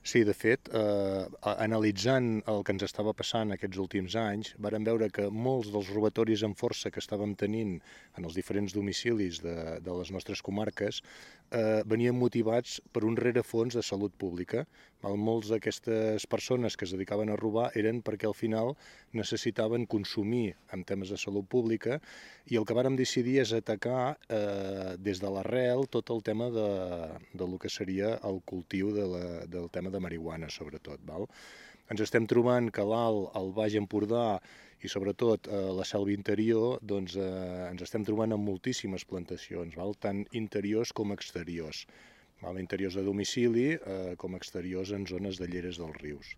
Sí, de fet, analitzant el que ens estava passant aquests últims anys, vàrem veure que molts dels robatoris amb força que estàvem tenint en els diferents domicilis de les nostres comarques venien motivats per un rerefons de salut pública. Molts d'aquestes persones que es dedicaven a robar eren perquè al final necessitaven consumir en temes de salut pública i el que vàrem decidir és atacar des de l'arrel tot el tema de lo que seria el cultiu del tema de marihuana, sobretot. Val? Ens estem trobant que l'Alt, el Baix Empordà i sobretot la selva interior, doncs ens estem trobant amb moltíssimes plantacions, val? Tant interiors com exteriors. Val? Interiors de domicili com exteriors en zones de lleres dels rius.